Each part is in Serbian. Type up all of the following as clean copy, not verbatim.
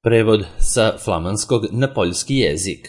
Prevod sa flamanskog na poljski jezik.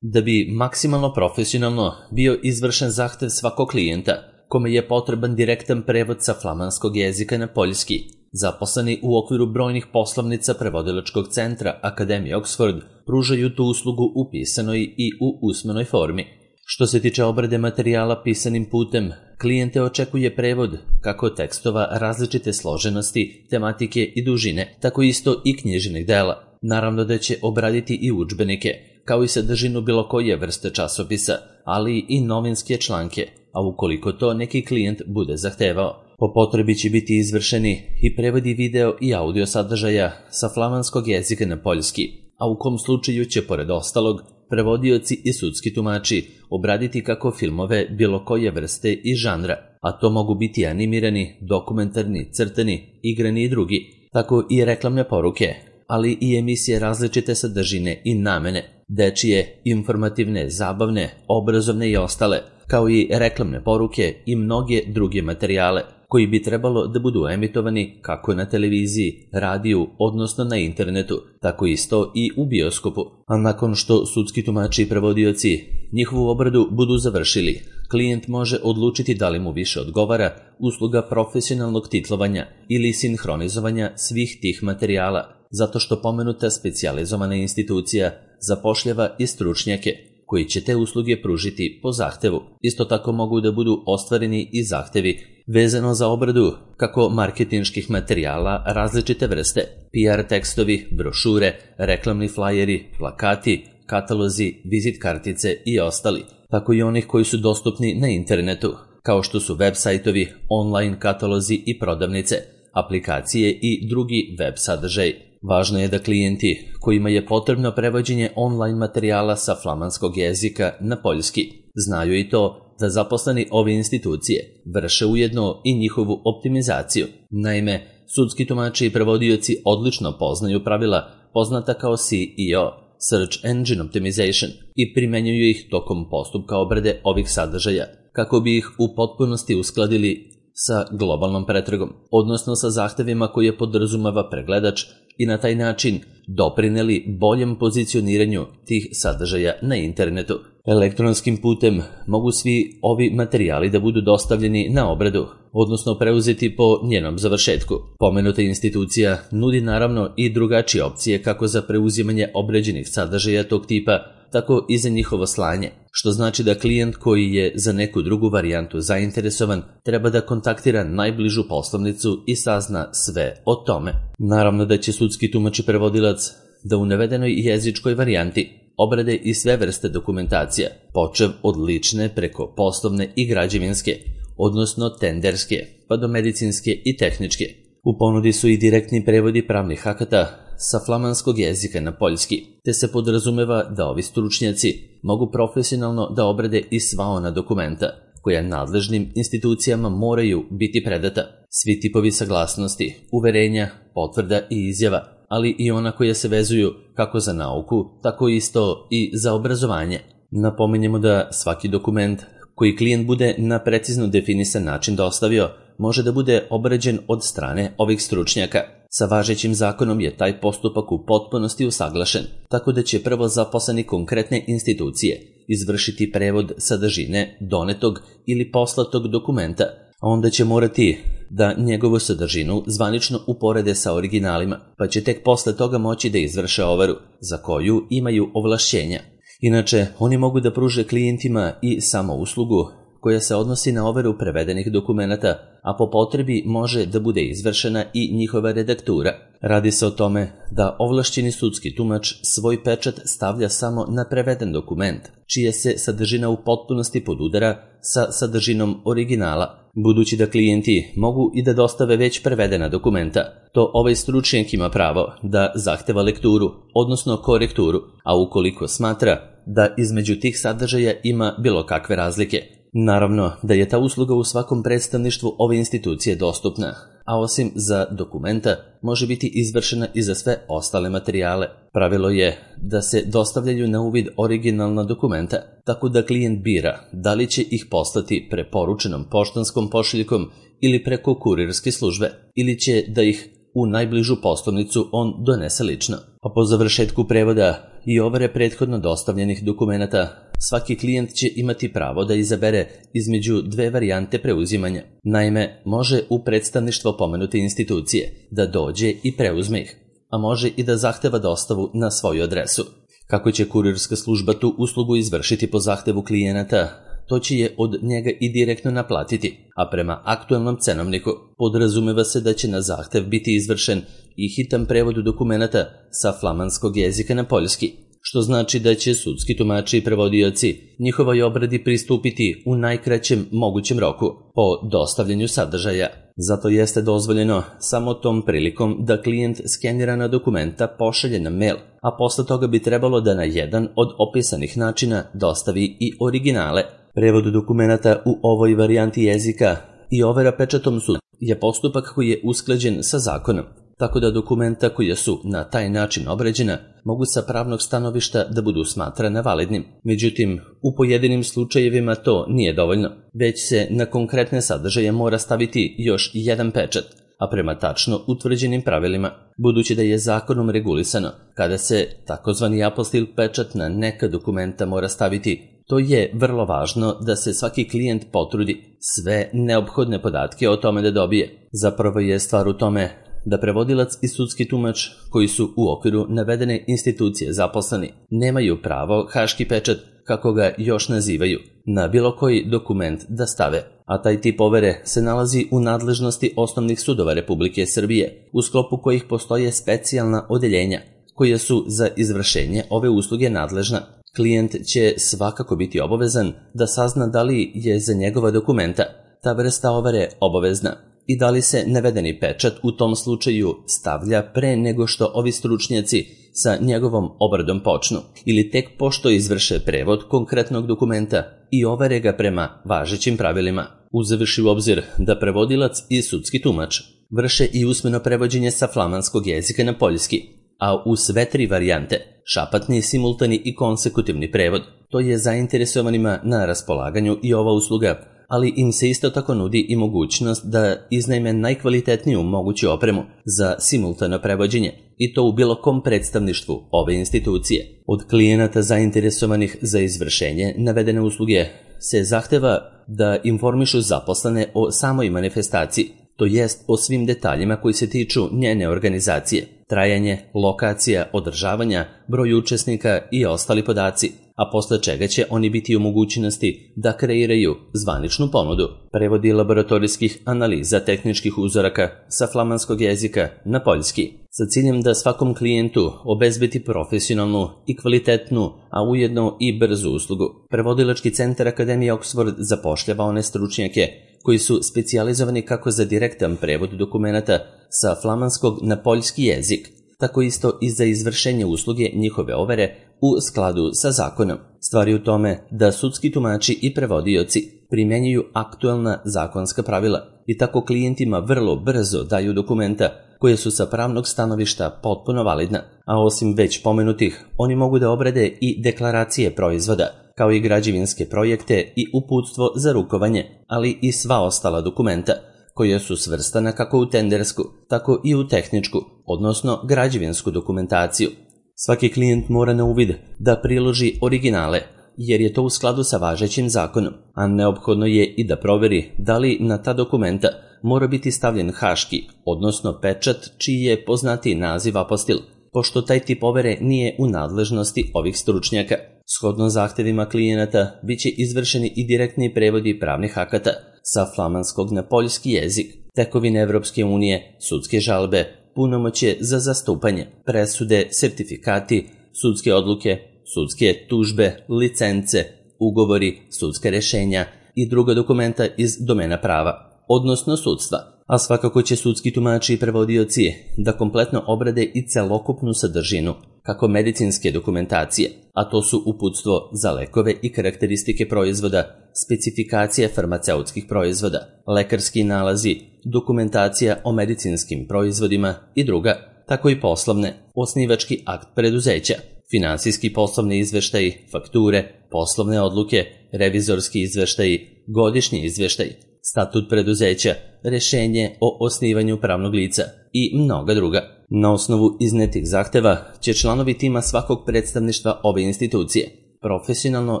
Da bi maksimalno profesionalno bio izvršen zahtev svakog klijenta, kome je potreban direktan prevod sa flamanskog jezika na poljski, zaposleni u okviru brojnih poslovnica prevodilačkog centra Akademije Oxford pružaju tu uslugu u pisanoj i u usmenoj formi. Što se tiče obrade materijala pisanim putem, klijente očekuje prevod kako tekstova različite složenosti, tematike i dužine, tako isto i književnih dela. Naravno da će obraditi i udžbenike, kao i sadržinu bilo koje vrste časopisa, ali i novinske članke, a ukoliko to neki klijent bude zahtevao. Po potrebi će biti izvršeni i prevodi video i audio sadržaja sa flamanskog jezika na poljski, a u kom slučaju će, pored ostalog, prevodioci i sudski tumači obraditi kako filmove bilo koje vrste i žanra, a to mogu biti animirani, dokumentarni, crtani, igrani i drugi, tako i reklamne poruke, ali i emisije različite sadržine i namene, dečije, informativne, zabavne, obrazovne i ostale, kao i reklamne poruke i mnoge druge materijale, koji bi trebalo da budu emitovani kako na televiziji, radiju, odnosno na internetu, tako isto i u bioskopu. A nakon što sudski tumači i prevodioci njihovu obradu budu završili, klijent može odlučiti da li mu više odgovara usluga profesionalnog titlovanja ili sinhronizovanja svih tih materijala, zato što pomenuta specijalizovana institucija zapošljava i stručnjake koji će te usluge pružiti po zahtevu. Isto tako mogu da budu ostvareni i zahtevi vezano za obradu kako marketinških materijala različite vrste, PR tekstovi, brošure, reklamni flajeri, plakati, katalozi, vizit kartice i ostali, tako i onih koji su dostupni na internetu, kao što su web sajtovi, online katalozi i prodavnice, aplikacije i drugi web sadržaj. Važno je da klijenti kojima je potrebno prevođenje online materijala sa flamanskog jezika na poljski znaju i to da zaposleni ove institucije vrše ujedno i njihovu optimizaciju. Naime, sudski tumači i prevodioci odlično poznaju pravila poznata kao SEO, Search Engine Optimization, i primenjuju ih tokom postupka obrade ovih sadržaja, kako bi ih u potpunosti uskladili sa globalnom pretragom, odnosno sa zahtevima koje podrazumeva pregledač i na taj način doprineli boljem pozicioniranju tih sadržaja na internetu. Elektronskim putem mogu svi ovi materijali da budu dostavljeni na obradu, odnosno preuzeti po njenom završetku. Pomenuta institucija nudi naravno i drugačije opcije kako za preuzimanje obrađenih sadržaja tog tipa, tako i za njihovo slanje, što znači da klijent koji je za neku drugu varijantu zainteresovan treba da kontaktira najbližu poslovnicu i sazna sve o tome. Naravno da će sudski tumač i prevodilac da u navedenoj jezičkoj varijanti obrade i sve vrste dokumentacija, počev od lične preko poslovne i građevinske, odnosno tenderske, pa do medicinske i tehničke. U ponudi su i direktni prevodi pravnih akata sa flamanskog jezika na poljski, te se podrazumeva da ovi stručnjaci mogu profesionalno da obrade i sva ona dokumenta koja nadležnim institucijama moraju biti predata. Svi tipovi saglasnosti, uverenja, potvrda i izjava, ali i ona koja se vezuju kako za nauku, tako isto i za obrazovanje. Napominjemo da svaki dokument koji klijent bude na precizno definisan način dostavio može da bude obrađen od strane ovih stručnjaka. Sa važećim zakonom je taj postupak u potpunosti usaglašen, tako da će prvo zaposleni konkretne institucije izvršiti prevod sadržine donetog ili poslatog dokumenta, a onda će morati da njegovu sadržinu zvanično uporede sa originalima, pa će tek posle toga moći da izvrše overu, za koju imaju ovlašćenja. Inače, oni mogu da pruže klijentima i samo uslugu koja se odnosi na overu prevedenih dokumenata, a po potrebi može da bude izvršena i njihova redaktura. Radi se o tome da ovlašćeni sudski tumač svoj pečat stavlja samo na preveden dokument, čija se sadržina u potpunosti podudara sa sadržinom originala. Budući da klijenti mogu i da dostave već prevedena dokumenta, to ovaj stručnjak ima pravo da zahteva lekturu, odnosno korekturu, a ukoliko smatra da između tih sadržaja ima bilo kakve razlike. Naravno da je ta usluga u svakom predstavništvu ove institucije dostupna, a osim za dokumenta može biti izvršena i za sve ostale materijale. Pravilo je da se dostavljaju na uvid originalna dokumenta, tako da klijent bira da li će ih poslati preporučenom poštanskom pošiljkom ili preko kurirske službe, ili će da ih u najbližu poslovnicu on donese lično. A po završetku prevoda i overe prethodno dostavljenih dokumenata, svaki klijent će imati pravo da izabere između dve varijante preuzimanja. Naime, može u predstavništvo pomenute institucije da dođe i preuzme ih, a može i da zahteva dostavu na svoju adresu. Kako će kurirska služba tu uslugu izvršiti po zahtevu klijenata, to će je od njega i direktno naplatiti, a prema aktualnom cenovniku podrazumeva se da će na zahtev biti izvršen i hitan prevod dokumenata sa flamanskog jezika na poljski, što znači da će sudski tumači i prevodioci njihovoj obradi pristupiti u najkraćem mogućem roku po dostavljanju sadržaja. Zato jeste dozvoljeno samo tom prilikom da klijent skenirana dokumenta pošalje na mail, a posle toga bi trebalo da na jedan od opisanih načina dostavi i originale. Prevod dokumenata u ovoj varijanti jezika i overa pečatom suda je postupak koji je usklađen sa zakonom, tako da dokumenta koja su na taj način obrađena mogu sa pravnog stanovišta da budu smatrana validnim. Međutim, u pojedinim slučajevima to nije dovoljno, već se na konkretne sadržaje mora staviti još jedan pečat, a prema tačno utvrđenim pravilima, budući da je zakonom regulisano kada se takozvani apostil pečat na neka dokumenta mora staviti. To je vrlo važno da se svaki klijent potrudi sve neophodne podatke o tome da dobije. Zapravo je stvar u tome da prevodilac i sudski tumač koji su u okviru navedene institucije zaposleni nemaju pravo haški pečat, kako ga još nazivaju, na bilo koji dokument da stave, a taj tip overe se nalazi u nadležnosti osnovnih sudova Republike Srbije, u sklopu kojih postoje specijalna odeljenja koja su za izvršenje ove usluge nadležna. Klijent će svakako biti obavezan da sazna da li je za njegova dokumenta ta vrsta overe obavezna i da li se navedeni pečat u tom slučaju stavlja pre nego što ovi stručnjaci sa njegovom obradom počnu ili tek pošto izvrše prevod konkretnog dokumenta i overe ga prema važećim pravilima. Uzevši u obzir da prevodilac i sudski tumač vrše i usmeno prevođenje sa flamanskog jezika na poljski, a u sve tri varijante, šapatni, simultani i konsekutivni prevod, to je zainteresovanima na raspolaganju i ova usluga, ali im se isto tako nudi i mogućnost da iznajme najkvalitetniju moguću opremu za simultano prevođenje, i to u bilo kom predstavništvu ove institucije. Od klijenata zainteresovanih za izvršenje navedene usluge se zahteva da informišu zaposlene o samoj manifestaciji, to jest o svim detaljima koji se tiču njene organizacije, trajanje, lokacija, održavanja, broj učesnika i ostali podaci, a posle čega će oni biti u mogućnosti da kreiraju zvaničnu ponudu. Prevodi laboratorijskih analiza tehničkih uzoraka sa flamanskog jezika na poljski, sa ciljem da svakom klijentu obezbedi profesionalnu i kvalitetnu, a ujedno i brzu uslugu. Prevodilački centar Akademije Oxford zapošljava one stručnjake koji su specijalizovani kako za direktan prevod dokumenata sa flamanskog na poljski jezik, tako isto i za izvršenje usluge njihove overe u skladu sa zakonom. Stvar je u tome da sudski tumači i prevodioci primenjuju aktualna zakonska pravila i tako klijentima vrlo brzo daju dokumenta koje su sa pravnog stanovišta potpuno validna, a osim već pomenutih, oni mogu da obrade i deklaracije proizvoda, kao i građevinske projekte i uputstvo za rukovanje, ali i sva ostala dokumenta, koja su svrstana kako u tendersku, tako i u tehničku, odnosno građevinsku dokumentaciju. Svaki klijent mora na uvid da priloži originale, jer je to u skladu sa važećim zakonom, a neophodno je i da proveri da li na ta dokumenta mora biti stavljen haški, odnosno pečat čiji je poznatiji naziv apostil, pošto taj tip overe nije u nadležnosti ovih stručnjaka. Shodno zahtevima klijenata biće izvršeni i direktni prevodi pravnih akata sa flamanskog na poljski jezik, tekovine Evropske unije, sudske žalbe, punomoćje za zastupanje, presude, sertifikati, sudske odluke, sudske tužbe, licence, ugovori, sudska rešenja i druga dokumenta iz domena prava, odnosno sudstva. A svakako će sudski tumači i prevodioci da kompletno obrade i celokupnu sadržinu, kako medicinske dokumentacije, a to su uputstvo za lekove i karakteristike proizvoda, specifikacije farmaceutskih proizvoda, lekarski nalazi, dokumentacija o medicinskim proizvodima i druga, tako i poslovne, osnivački akt preduzeća, finansijski poslovni izveštaji, fakture, poslovne odluke, revizorski izveštaji, godišnji izveštaj, statut preduzeća, rešenje o osnivanju pravnog lica i mnoga druga. Na osnovu iznetih zahteva će članovi tima svakog predstavništva ove institucije profesionalno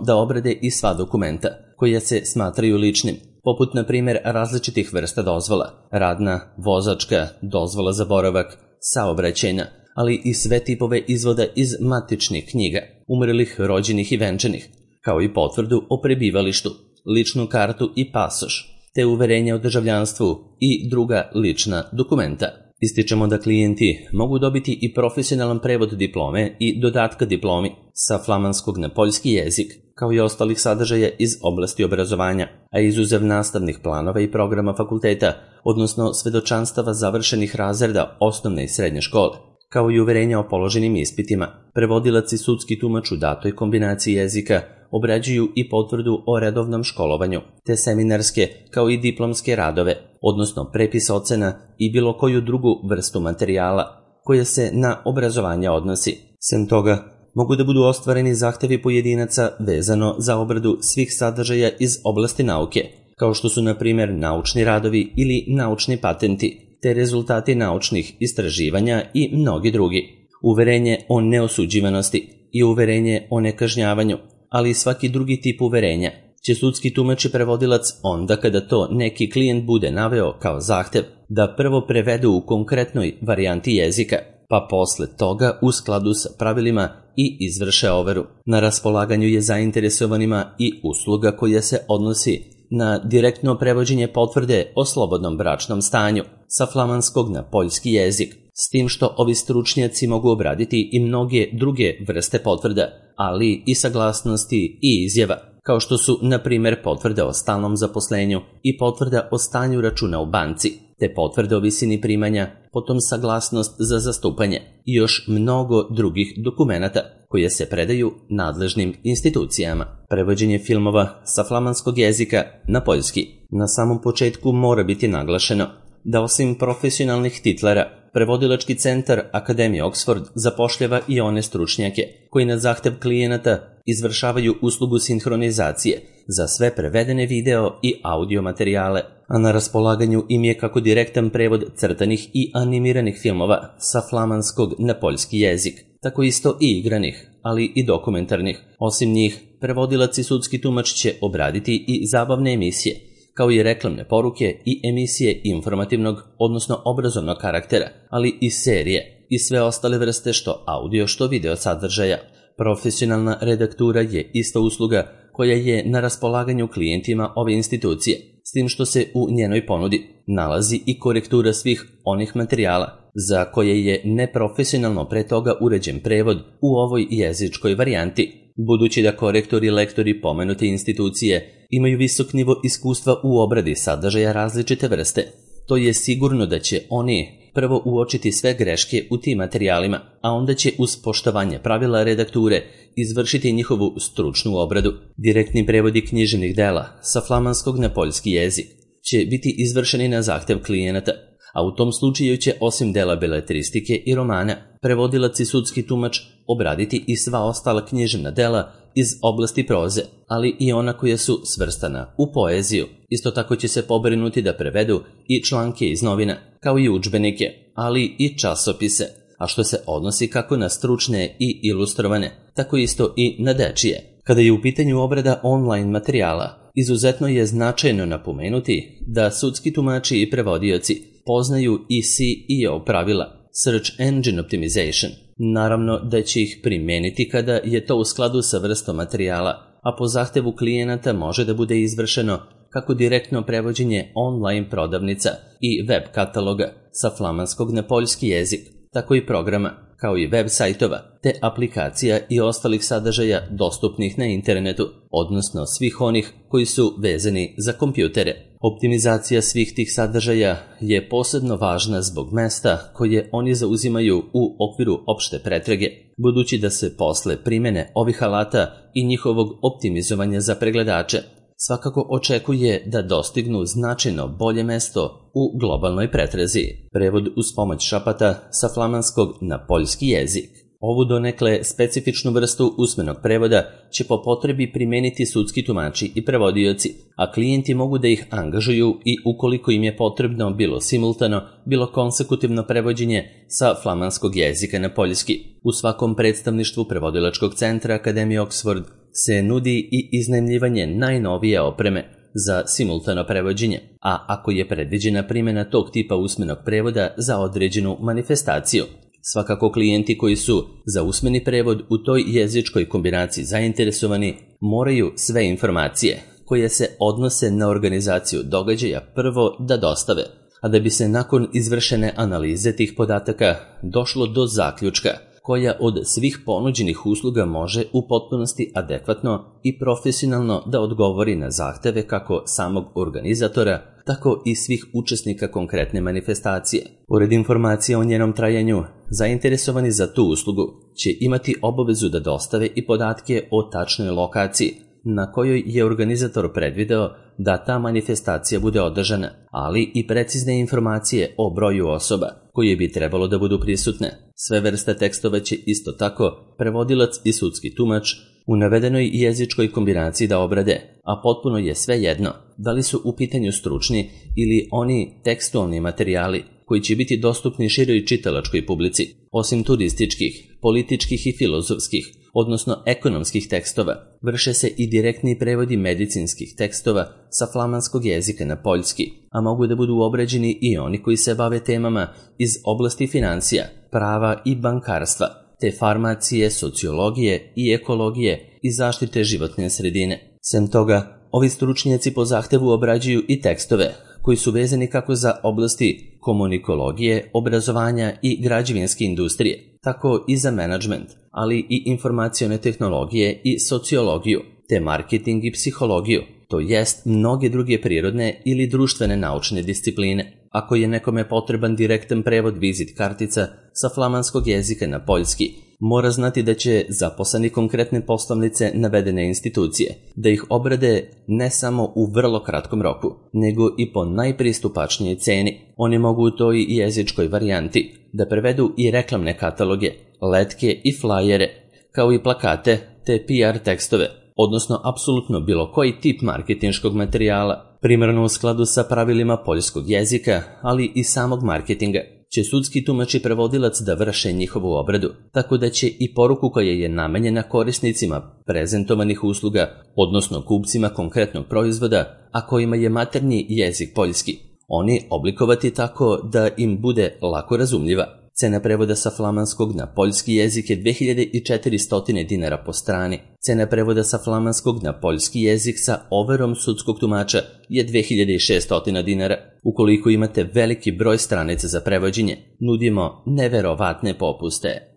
da obrade i sva dokumenta koja se smatraju ličnim, poput na primjer različitih vrsta dozvola, radna, vozačka, dozvola za boravak, saobraćajna, ali i sve tipove izvoda iz matičnih knjiga, umrlih, rođenih i venčanih, kao i potvrdu o prebivalištu, ličnu kartu i pasoš, te uverenje o državljanstvu i druga lična dokumenta. Ističemo da klijenti mogu dobiti i profesionalan prevod diplome i dodatka diplomi sa flamanskog na poljski jezik, kao i ostalih sadržaja iz oblasti obrazovanja, a izuzev nastavnih planova i programa fakulteta, odnosno svedočanstava završenih razreda osnovne i srednje škole, kao i uverenja o položenim ispitima. Prevodilac i sudski tumač u datoj kombinaciji jezika obrađuju i potvrdu o redovnom školovanju, te seminarske kao i diplomske radove, odnosno prepis ocena i bilo koju drugu vrstu materijala koja se na obrazovanje odnosi. Sem toga, mogu da budu ostvareni zahtevi pojedinaca vezano za obradu svih sadržaja iz oblasti nauke, kao što su na primjer naučni radovi ili naučni patenti, te rezultati naučnih istraživanja i mnogi drugi. Uverenje o neosuđivanosti i uverenje o nekažnjavanju, ali i svaki drugi tip uverenja će sudski tumač i prevodilac onda kada to neki klijent bude naveo kao zahtev da prvo prevedu u konkretnoj varijanti jezika, pa posle toga u skladu sa pravilima i izvrše overu. Na raspolaganju je zainteresovanima i usluga koja se odnosi na direktno prevođenje potvrde o slobodnom bračnom stanju sa flamanskog na poljski jezik, s tim što ovi stručnjaci mogu obraditi i mnoge druge vrste potvrda, ali i saglasnosti i izjava, kao što su, na primjer, potvrda o stalnom zaposlenju i potvrda o stanju računa u banci, te potvrda o visini primanja, potom saglasnost za zastupanje i još mnogo drugih dokumenata koje se predaju nadležnim institucijama. Prevođenje filmova sa flamanskog jezika na poljski. Na samom početku mora biti naglašeno da osim profesionalnih titlera, prevodilački centar Akademije Oxford zapošljava i one stručnjake koji na zahtev klijenata izvršavaju uslugu sinhronizacije za sve prevedene video i audio materijale, a na raspolaganju im je kako direktan prevod crtanih i animiranih filmova sa flamanskog na poljski jezik, tako isto i igranih, ali i dokumentarnih. Osim njih, prevodilac i sudski tumač će obraditi i zabavne emisije, kao i reklamne poruke i emisije informativnog, odnosno obrazovnog karaktera, ali i serije i sve ostale vrste što audio što video sadržaja. Profesionalna redaktura je ista usluga koja je na raspolaganju klijentima ove institucije, s tim što se u njenoj ponudi nalazi i korektura svih onih materijala za koje je neprofesionalno pre toga uređen prevod u ovoj jezičkoj varijanti. Budući da korektori i lektori pomenute institucije imaju visok nivo iskustva u obradi sadržaja različite vrste, to je sigurno da će oni prvo uočiti sve greške u tim materijalima, a onda će uz poštovanje pravila redakture izvršiti njihovu stručnu obradu. Direktni prevodi književnih dela sa flamanskog na poljski jezik će biti izvršeni na zahtev klijenata, a u tom slučaju će osim dela beletristike i romana, prevodilac i sudski tumač obraditi i sva ostala književna dela iz oblasti proze, ali i ona koja su svrstana u poeziju. Isto tako će se pobrinuti da prevedu i članke iz novina, kao i udžbenike, ali i časopise, a što se odnosi kako na stručne i ilustrovane, tako isto i na dečije. Kada je u pitanju obrada online materijala, izuzetno je značajno napomenuti da sudski tumači i prevodioci poznaju i SEO pravila, Search Engine Optimization. Naravno da će ih primeniti kada je to u skladu sa vrstom materijala, a po zahtevu klijenata može da bude izvršeno kako direktno prevođenje online prodavnica i web kataloga sa flamanskog na poljski jezik, tako i programa, kao i web sajtova, te aplikacija i ostalih sadržaja dostupnih na internetu, odnosno svih onih koji su vezani za kompjutere. Optimizacija svih tih sadržaja je posebno važna zbog mesta koje oni zauzimaju u okviru opšte pretrage, budući da se posle primene ovih alata i njihovog optimizovanja za pregledače svakako očekuje da dostignu značajno bolje mesto u globalnoj pretrazi. Prevod uz pomoć šapata sa flamanskog na poljski jezik. Ovu donekle specifičnu vrstu usmenog prevoda će po potrebi primeniti sudski tumači i prevodioci, a klijenti mogu da ih angažuju i ukoliko im je potrebno bilo simultano, bilo konsekutivno prevođenje sa flamanskog jezika na poljski. U svakom predstavništvu prevodilačkog centra Akademije Oxford se nudi i iznajmljivanje najnovije opreme za simultano prevođenje, a ako je predviđena primjena tog tipa usmenog prevoda za određenu manifestaciju. Svakako klijenti koji su za usmeni prevod u toj jezičkoj kombinaciji zainteresovani moraju sve informacije koje se odnose na organizaciju događaja prvo da dostave, a da bi se nakon izvršene analize tih podataka došlo do zaključka koja od svih ponuđenih usluga može u potpunosti adekvatno i profesionalno da odgovori na zahteve kako samog organizatora, tako i svih učesnika konkretne manifestacije. Pored informacija o njenom trajanju, zainteresovani za tu uslugu će imati obavezu da dostave i podatke o tačnoj lokaciji na kojoj je organizator predvideo da ta manifestacija bude održana, ali i precizne informacije o broju osoba koje bi trebalo da budu prisutne. Sve vrste tekstova će isto tako prevodilac i sudski tumač u navedenoj jezičkoj kombinaciji da obrade, a potpuno je svejedno da li su u pitanju stručni ili oni tekstualni materijali koji će biti dostupni široj čitalačkoj publici. Osim turističkih, političkih i filozofskih, odnosno ekonomskih tekstova, vrše se i direktni prevodi medicinskih tekstova sa flamanskog jezika na poljski, a mogu da budu obrađeni i oni koji se bave temama iz oblasti financija, prava i bankarstva, te farmacije, sociologije i ekologije i zaštite životne sredine. Sem toga, ovi stručnjaci po zahtevu obrađuju i tekstove koji su vezani kako za oblasti komunikologije, obrazovanja i građevinske industrije, tako i za menadžment, ali i informacione tehnologije i sociologiju, te marketing i psihologiju, to jest mnoge druge prirodne ili društvene naučne discipline. Ako je nekome potreban direktan prevod vizit kartica sa flamanskog jezika na poljski, mora znati da će zaposleni konkretne poslovnice navedene institucije da ih obrade ne samo u vrlo kratkom roku, nego i po najpristupačnijoj ceni. Oni mogu u toj jezičkoj varijanti da prevedu i reklamne kataloge, letke i flajere, kao i plakate te PR tekstove, odnosno apsolutno bilo koji tip marketinškog materijala, primarno u skladu sa pravilima poljskog jezika, ali i samog marketinga, će sudski tumač i prevodilac da vrše njihovu obradu, tako da će i poruku koja je namenjena korisnicima prezentovanih usluga, odnosno kupcima konkretnog proizvoda, a kojima je maternji jezik poljski, oni oblikovati tako da im bude lako razumljiva. Cena prevoda sa flamanskog na poljski jezik je 2400 dinara po strani. Cena prevoda sa flamanskog na poljski jezik sa overom sudskog tumača je 2600 dinara. Ukoliko imate veliki broj stranica za prevođenje, nudimo neverovatne popuste.